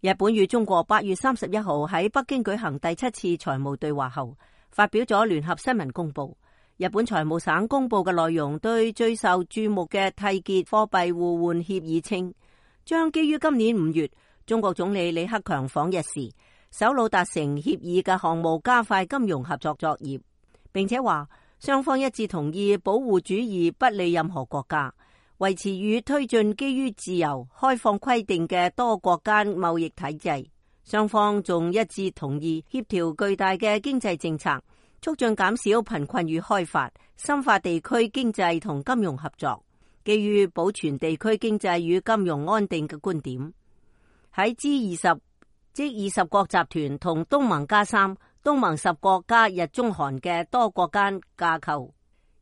日本與中國8月31號喺北京舉行第7次財務對話後，發表咗聯合新聞公報。日本財務省公佈嘅內容對最受注目嘅締結貨幣互換協議稱，將基於今年5月中國總理李克強訪日時首腦達成協議嘅項目加快金融合作作業，並且話雙方一致同意保護主義不利任何國家，維持與推進基於自由開放規定嘅多國間貿易體制。雙方仲一致同意協調巨大嘅經濟政策，促進減少貧困與開發，深化地區經濟同金融合作，基於保存地區經濟與金融安定嘅觀點。喺 G20 即20國集團同東盟加3、東盟10國加日中韓嘅多國間架構，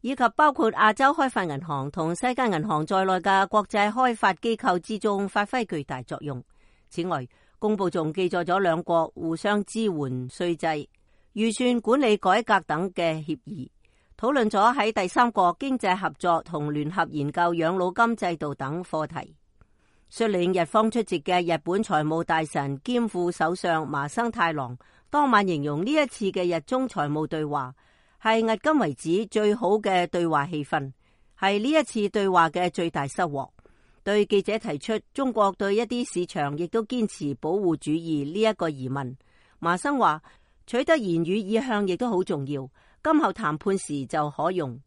以及包括亞洲開發銀行同世界銀行在內嘅國際開發機構之中發揮巨大作用。此外，公報仲記載咗兩國互相支援稅制、預算管理改革等嘅協議，討論咗喺第三國經濟合作同聯合研究養老金制度等課題。率領日方出席嘅日本財務大臣兼副首相麻生太郎當晚形容呢一次嘅日中財務對話係迄今為止最好嘅對話氣氛，係呢一次對話嘅最大收穫。對記者提出中國對一啲市場亦都堅持保護主義呢一個疑問，麻生話取得言語意向亦都好重要，今後談判時就可用。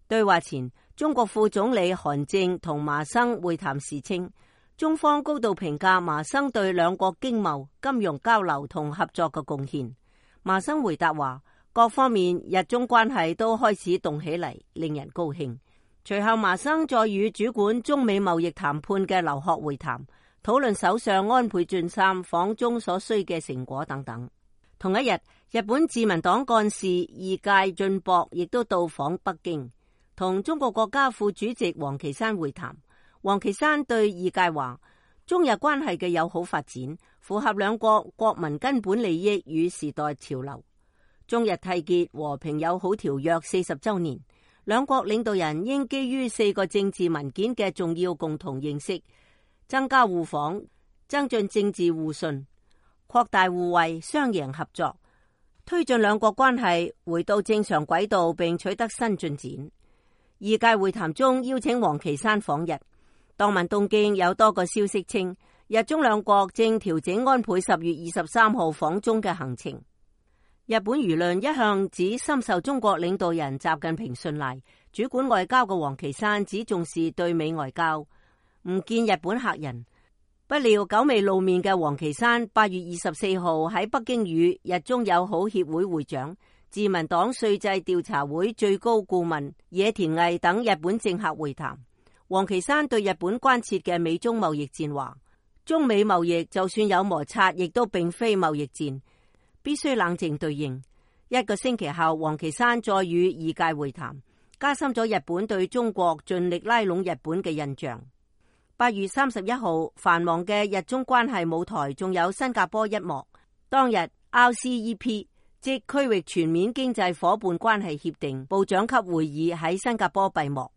對話前，中國副總理韓正同麻生會談時稱，中方高度評價麻生對兩國經貿、金融交流同合作嘅貢獻。麻生回答話，各方面日中關係都開始動起嚟，令人高興。隨後麻生再與主管中美貿易談判嘅劉鶴會談，討論首相安倍晉三訪中所需嘅成果等等。同一日，日本自民黨幹事二階俊博亦都到訪北京，同中國國家副主席王岐山會談。王岐山對二階話，中日關係嘅友好發展符合兩國國民根本利益與時代潮流。中日締結和平友好條約40週年，兩國領導人應基於4個政治文件嘅重要共同認識，增加互訪，增進政治互信，擴大互惠，雙贏合作，推進兩國關係回到正常軌道並取得新進展。二階會談中邀請王岐山訪日，當晚東京有多個消息稱，日中兩國正調整安倍10月23號訪中嘅行程。日本輿論一向只深受中國領導人習近平信賴，主管外交嘅王岐山只重視對美外交，唔見日本客人。不料久未露面嘅王岐山8月24號喺北京與日中友好協會會長、自民黨稅制調查會最高顧問野田毅等日本政客會談。王岐山對日本關切嘅美中貿易戰話，中美貿易就算有摩擦，亦都並非貿易戰，必須冷靜對應。1個星期後，王岐山再與二階會談，加深咗日本對中國盡力拉攏日本嘅印象。8月31號，繁忙嘅日中關係舞台仲有新加坡一幕。當日 RCEP 即區域全面經濟夥伴關係協定部長級會議喺新加坡閉幕。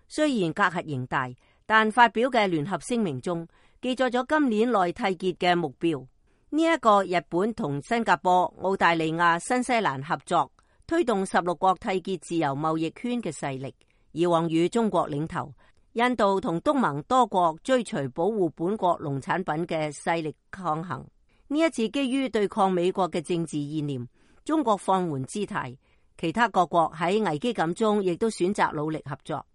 雖然隔閡仍大，但發表嘅聯合聲明中記載咗今年內締結嘅目標。呢一個日本同新加坡、澳大利亞、新西蘭合作推動16國締結自由貿易圈嘅勢力，以往與中國領頭。印度同東盟多國追隨保護本國農產品嘅勢力抗衡。呢一次基於對抗美國嘅政治意念，中國放緩姿態，其他各國喺危機感中亦都選擇努力合作。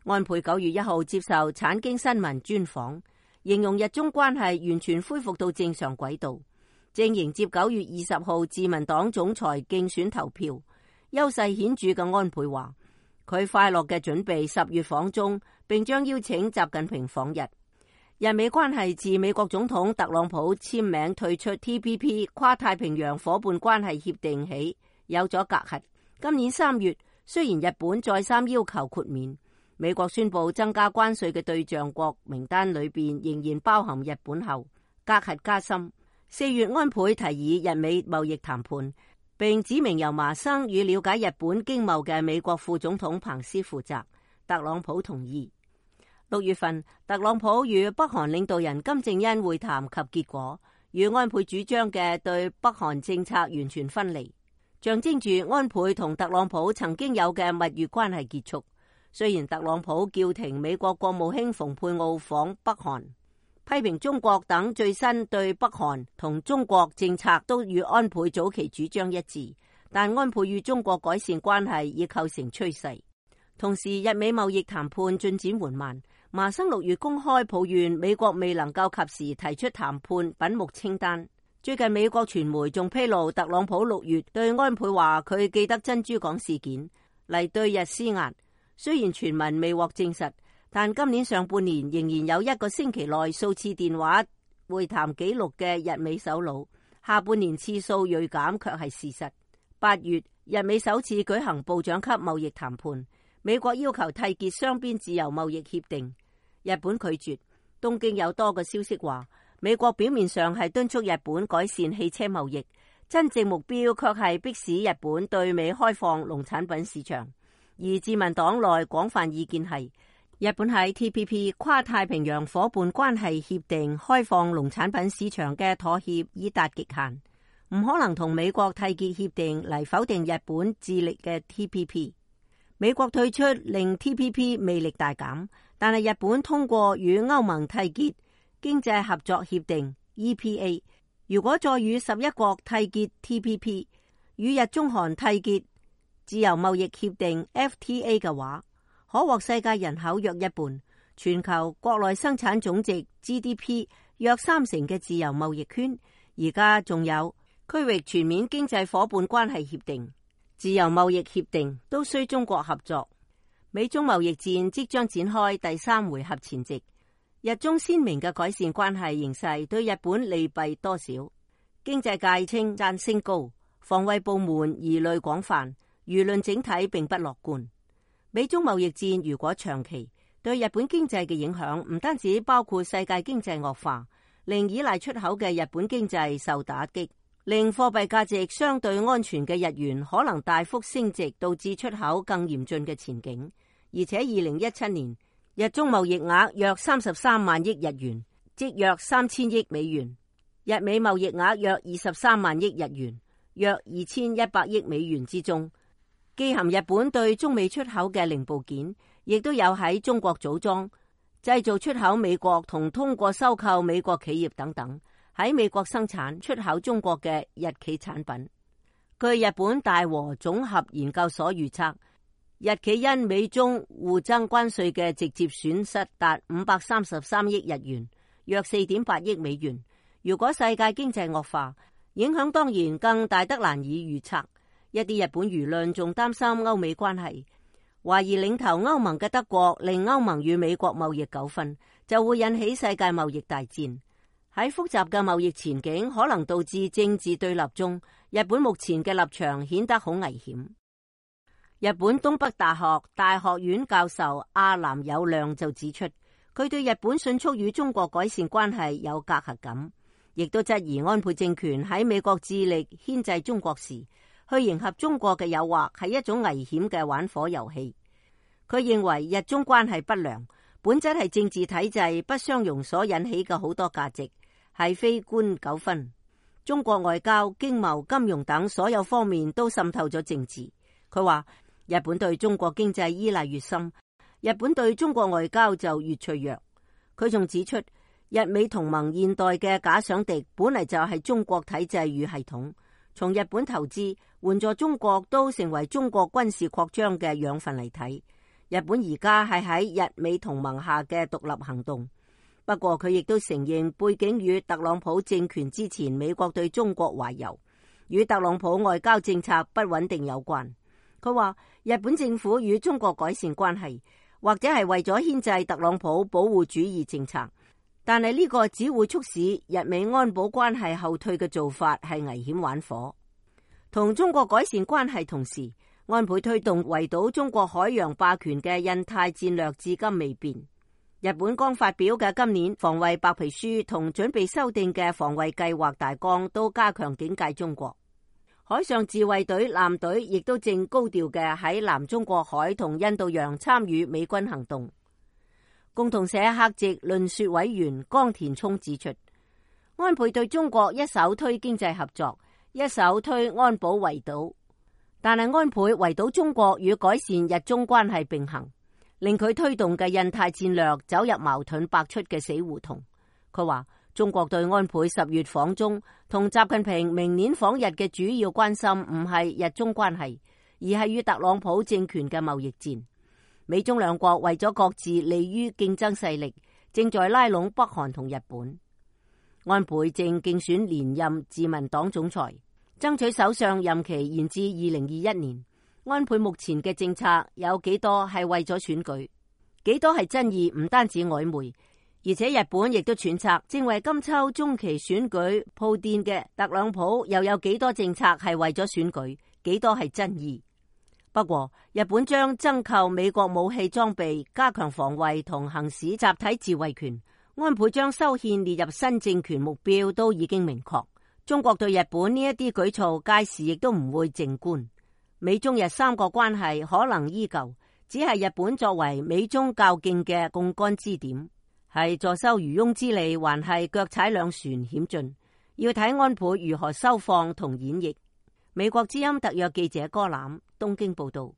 安倍9月1號接受產經新聞專訪，形容日中關係完全恢復到正常軌道，正迎接9月20號自民黨總裁競選投票。優勢顯著嘅安倍話，佢快樂嘅準備10月訪中，並將邀請習近平訪日。日美關係自美國總統特朗普簽名退出 TPP 跨太平洋夥伴關係協定起，有咗隔閡。今年3月，雖然日本再三要求豁免，美國宣布增加關稅嘅對象國名單裏邊仍然包含日本後，隔閡加深。4月，安倍提議日美貿易談判，並指明由麻生與了解日本經貿嘅美國副總統彭斯負責。特朗普同意。6月份，特朗普與北韓領導人金正恩會談及結果，與安倍主張嘅對北韓政策完全分離，象徵住安倍同特朗普曾經有嘅蜜月關係結束。雖然特朗普叫停美國國務卿蓬佩奧訪北韓，批評中國等最新對北韓同中國政策都與安倍早期主張一致，但安倍與中國改善關係已構成趨勢。同時，日美貿易談判進展緩慢。麻生6月公開抱怨美國未能夠及時提出談判品目清單。最近美國傳媒仲披露，特朗普6月對安倍話佢記得珍珠港事件嚟對日施壓。雖然傳聞未獲證實，但今年上半年仍然有1個星期內數次電話會談記錄嘅日美首腦，下半年次數銳減卻係事實。8月，日美首次舉行部長級貿易談判，美國要求締結雙邊自由貿易協定。日本拒絕。東京有多個消息話，美國表面上係敦促日本改善汽車貿易，真正目標卻係迫使日本對美開放農產品市場。而自民黨內廣泛意見係，日本喺 TPP 跨太平洋夥伴關係協定開放農產品市場嘅妥協已達極限，唔可能同美國締結協定嚟否定日本致力嘅 TPP。美國退出令 TPP 魅力大減，但係日本通過與歐盟締結經濟合作協定 EPA， 如果再與11國締結 TPP， 與日中韓締結自由貿易協定 FTA 嘅話，可獲世界人口約一半，全球國內生產總值 GDP 約30%嘅自由貿易圈。而家仲有區域全面經濟夥伴關係協定、自由貿易協定都需中國合作。美中貿易戰即將展開第3回合前夕，日中鮮明嘅改善關係形勢對日本利弊多少？經濟界稱讚聲高，防衛部門疑慮廣泛，輿論整體並不樂觀。美中貿易戰如果長期，對日本經濟嘅影響唔單止包括世界經濟惡化，令依賴出口嘅日本經濟受打擊，令貨幣價值相對安全嘅日元可能大幅升值，導致出口更嚴峻嘅前景。而且2017年日中貿易額約33萬億日元，即約3000億美元；日美貿易額約23萬億日元，約2100億美元之中，既含日本對中美出口嘅零部件，亦都有喺中國組裝、製造出口美國同通過收購美國企業等等，喺美國生產出口中國嘅日企產品。據日本大和綜合研究所預測，日企因美中互爭關稅嘅直接損失達533億日元，約4.8億美元。如果世界經濟惡化，影響當然更大得難以預測。一啲日本輿論仲擔心歐美關係，懷疑領頭歐盟嘅德國令歐盟與美國貿易糾紛，就會引起世界貿易大戰。喺複雜嘅貿易前景可能導致政治對立中，日本目前嘅立場顯得好危險。日本東北大學大學院教授阿南友亮就指出，佢對日本迅速與中國改善關係有隔閡感，亦都質疑安倍政權喺美國致力牽制中國時，去迎合中國嘅誘惑係一種危險嘅玩火遊戲。佢認為日中關係不良，本質係政治體制不相容所引起嘅好多價值，係非官糾紛。中國外交、經貿、金融等所有方面都滲透咗政治。佢話日本對中國經濟依賴越深，日本對中國外交就越脆弱。佢仲指出，日美同盟現代嘅假想敵本嚟就係中國體制與系統，從日本投資援助中國都成為中國軍事擴張嘅養分嚟睇。日本而家係喺日美同盟下嘅獨立行動。不過佢亦都承認背景與特朗普政權之前美國對中國懷柔，與特朗普外交政策不穩定有關。佢話日本政府與中國改善關係，或者係為咗牽制特朗普保護主義政策，但係呢個只會促使日美安保關係後退嘅做法係危險玩火。同中國改善關係同時，安倍推動圍堵中國海洋霸權嘅印太戰略至今未變。日本剛發表嘅今年防衛白皮書同準備修訂嘅防衛計劃大綱都加強警戒中國。海上自衛隊艦隊亦都正高調嘅喺南中國海同印度洋參與美軍行動。共同社客席論說委員江田聰指出，安倍對中國一手推經濟合作，一手推安保圍堵，但係安倍圍堵中國與改善日中關係並行，令佢推動嘅印太戰略走入矛盾百出嘅死胡同。佢話中國對安倍10月訪中同習近平明年訪日嘅主要關心唔係日中關係，而係與特朗普政權嘅貿易戰。美中兩國為咗各自利於競爭勢力，正在拉攏北韓同日本。安倍正競選連任自民黨總裁，爭取首相任期延至2021年。安倍目前嘅政策有幾多係為咗選舉，幾多係真意，唔單止曖昧，而且日本亦都揣測正為今秋中期選舉鋪墊嘅特朗普又有幾多政策係為咗選舉，幾多係真意。不過日本將增購美國武器裝備，加強防衛同行使集體自衛權。安倍將修憲列入新政權目標都已經明確。中國對日本呢一啲舉措屆時亦都唔會靜觀。美中日三國關係可能依舊，只係日本作為美中較勁嘅槓桿支點，係坐收漁翁之利，還係腳踩兩船險峻，要睇安倍如何收放同演繹。美國之音特約記者柯欖東京報道。